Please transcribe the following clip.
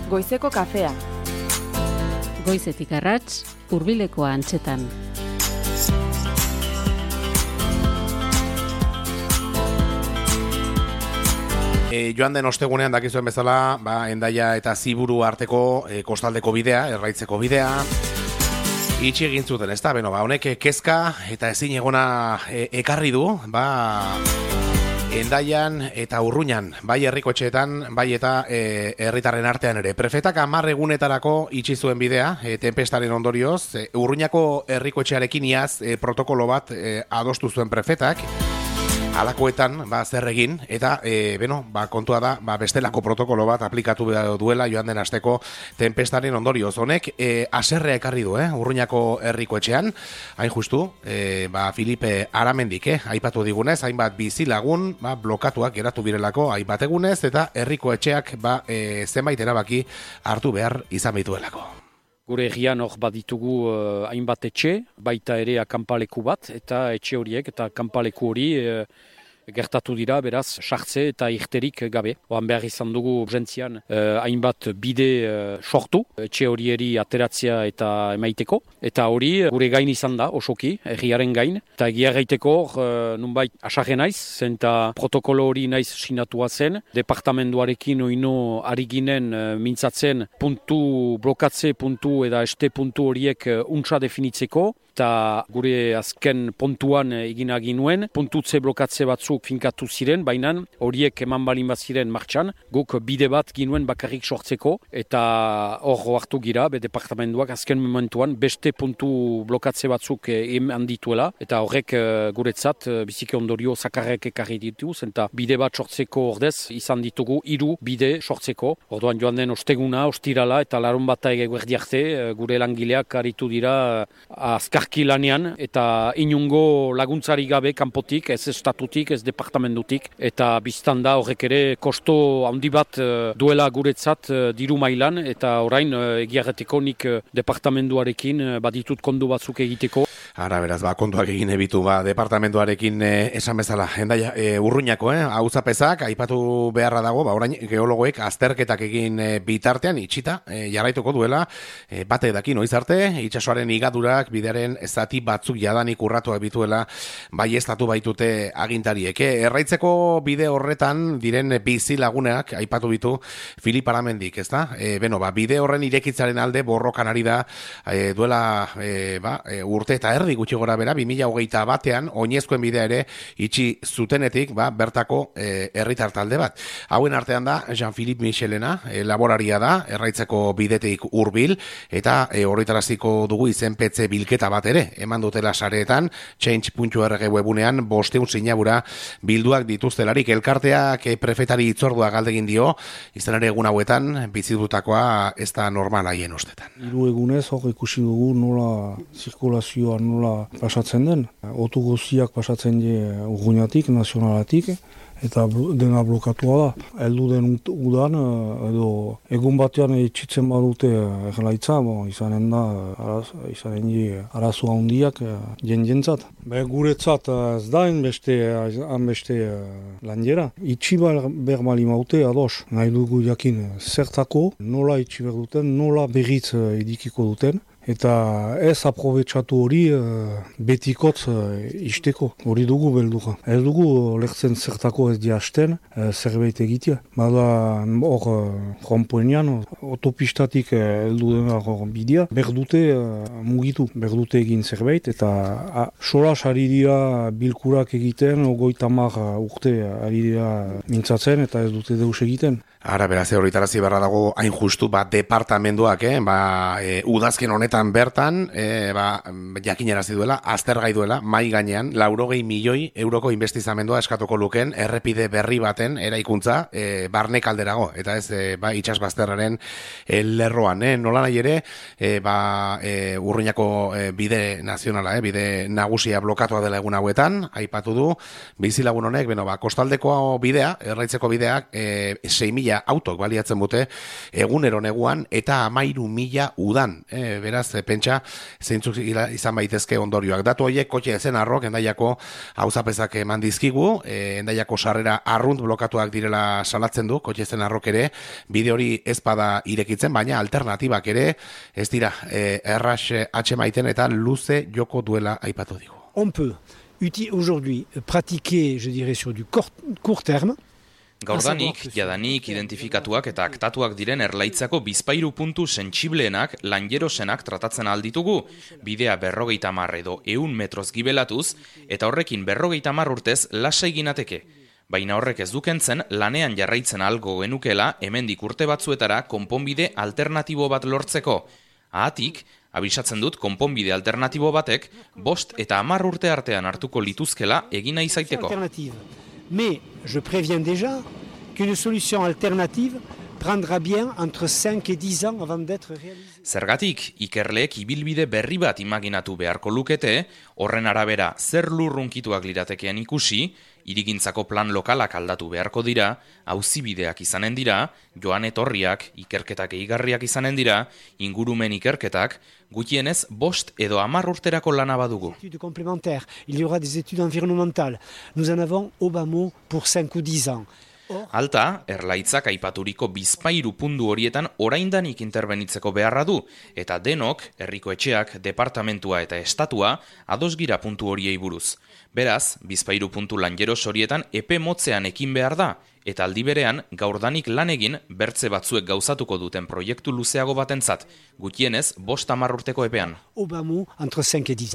Goizeko kafea. Goizetik arrats, hurbilekoa antzetan. Joan den ostegunean dakizuen bezala, Hendaia eta Ziburu arteko kostaldeko bidea, erraitzeko bidea, itxi egin zuten, ezta? Honek kezka eta ezin egona ekarri du, Hendaian eta Urruñan, bai herrikoetxeetan, bai eta herritarren artean ere. Prefetak 10 egunetarako itxi zuen bidea, tenpestaren ondorioz, Urruñako herrikoetxearekin iaz protokolo bat adostu zuen prefetak. Alakoetan, zer egin, eta, kontua da, bestelako protokolo bat aplikatu duela joan den asteko tenpestaren ondorioz. Honek, aserrea ekarri du, Urruñako herrikoetxean, hain justu, Filipe Aramendik, aipatu digunez, hainbat bizilagun, blokatuak geratu birelako, hainbat egunez, eta herrikoetxeak, zenbait erabaki hartu behar izan bituelako. Gure egian hor baditugu hainbat etxe, baita ere akanpaleku bat, eta etxe horiek eta akanpaleku hori gertatu dira, beraz, sartze eta irterik gabe. Oan behar izan dugu urgentzian hainbat bide sortu, etxe horieri ateratzea eta emaiteko. Eta hori gure gain izan da, osoki, erriaren gain. Eta egia gaiteko, nunbait asarre naiz, zenta protokolo hori naiz sinatua zen. Departamentuarekin oino ari ginen mintzatzen blokatze puntu eta este puntu horiek untsa definitzeko. Eta gure azken pontuan egina ginuen, puntutze blokatze batzuk finkatu ziren, baina horiek eman balin bat ziren martxan, guk bide bat ginuen bakarrik sortzeko, eta hor hartu gira, departamentuak azken momentuan beste puntu blokatze batzuk eman dituela, eta horrek guretzat biziki ondorio zakarrek ekarri ditu, eta bide bat sortzeko ordez izan ditugu 3 bide sortzeko. Orduan joan den osteguna, ostirala, eta larun bata eguerdi arte, gure langileak aritu dira azkar lanean, eta inungo laguntzari gabe kanpotik, ez estatutik, ez departamentutik, eta biztan da horrek ere kosto handi bat duela guretzat diru mailan, eta orain egiarreteko nik departamentuarekin baditut kondu batzuk egiteko. Ara, beraz, kontuak egin ebitu, departamentuarekin esan bezala. Hendaia, Urruñako, auzapezak, aipatu beharra dago, orain geologoek azterketak egin bitartean, itxita, jarraituko duela, bate daki noiz arte, itsasoaren igadurak, bidearen zati batzuk jadanik urratuak bituela baieztatu baitute agintariek. Erraitzeko bide horretan diren bizi laguneak aipatu bitu Filip Aramendik, ezta? Bide horren irekitzaren alde borrokan ari da duela urte eta erdi gutxi gora bera, 2021an oinezkoen bidea ere itxi zutenetik bertako herritar talde bat. Hauen artean da Jean-Philippe Michelena, laboraria da, erraitzeko bidetik hurbil, eta horretaraziko dugu izenpetze bilketa bat ere, eman dutela sareetan, change.org webunean 500 sinabura bilduak dituztelarik. Elkarteak prefetari hitzordua galdegin dio, izan ere egun hauetan bizitutakoa ez da normal haien ustetan. 3 egunez hor ikusi dugu nola zirkulazioa nola pasatzen den. Otu guztiak pasatzen die Urruñatik, nazionalatik, eta dena blokatua da. Heldu den udan, edo egun batean itxitzen badute erlaitza, izanen arazoa handiak jentzat. Guretzat ez da beste landiera. Itxi behar mali maute ados. Nahi dugu jakin zertako, nola itxi behar duten, nola berriz edikiko duten. Eta ez aprobetsatu hori betikotz isteko, hori dugu belduga. Ez dugu lehtzen zertako ez diasten, zerbait egitea. Bada hor rompoenean, autopistatik heldu dena hor bidea, berdute mugitu, berdute egin zerbait, eta solas ari dira bilkurak egiten, 30 urte ari dira mintzatzen, eta ez dute deus egiten. Ara, beraz, horretarazi barra dago hain justu, departamentuak, udazken honetan bertan, jakinarazi duela, aztergai duela, mai gainean, 80 milioi euroko investizamendua eskatuko luken, errepide berri baten eraikuntza, barnek alderago, eta ez, itxas bazterraren lerroan, nola nahi ere, Urruñako bide nazionala, bide nagusia blokatua dela egun hauetan, aipatu du, bizilagun honek, kostaldeko bidea, erraitzeko bideak, 6.000 autok baliatzen dute egunero neguan eta 13.000 udan. Beraz, beraz, pentsa, zeintzuk izan baitezke ondorioak. Datu horiek kotxe zen arrok, Hendaiako auzapezak eman dizkigu, Hendaiako sarrera arrunt blokatuak direla salatzen du, kotxe zen arrok ere, bide hori ez bada irekitzen, baina alternatibak ere, ez dira, erras atxemaiten eta luze joko duela aipatu digu. On peut aujourd'hui pratiquer, je dirais, sur du court terme. Gaurdanik, jadanik identifikatuak eta aktatuak diren Erlaitzako bizpahiru puntu sentsibleenak, lanjerosenak tratatzen alditugu, bidea 50 edo 100 metroz gibelatuz, eta horrekin 50 urtez lasai ginateke. Baina horrek ez dukentzen lanean jarraitzen algo genukela hemendik urte batzuetara konponbide alternatibo bat lortzeko. Ahatik, abisatzen dut konponbide alternatibo batek 5 eta 10 urte artean hartuko lituzkela egina izaiteko. Mais je préviens déjà qu'une solution alternative prendra bien entre 5 et 10 ans avant d'être réalisée. Zergatik, ikerleek ibilbide berri bat imaginatu beharko lukete, horren arabera zer lurrunkituak liratekean ikusi, hirigintzako plan lokalak aldatu beharko dira, auzibideak izanen dira, joan etorriak, ikerketak eigarriak izanen dira, ingurumen ikerketak, gutienez 5 edo 10 urterako lana badugu. Études complémentaires, il y aura des études environnementales. Nous en avons au bas mot pour 5 ou 10 ans. Alta, Erlaitzak aipaturiko bizpahiru puntu horietan oraindanik interbenitzeko beharra du, eta denok, herriko etxeak, departamentua eta estatua, ados gira puntu horiei buruz. Beraz, bizpahiru puntu lanjeros horietan epe motzean ekin behar da, eta aldi berean gaurdanik lan egin bertze batzuek gauzatuko duten proiektu luzeago batentzat, gutienez 5-10 urteko epean. Au bas mot entre 5 et 10 ans.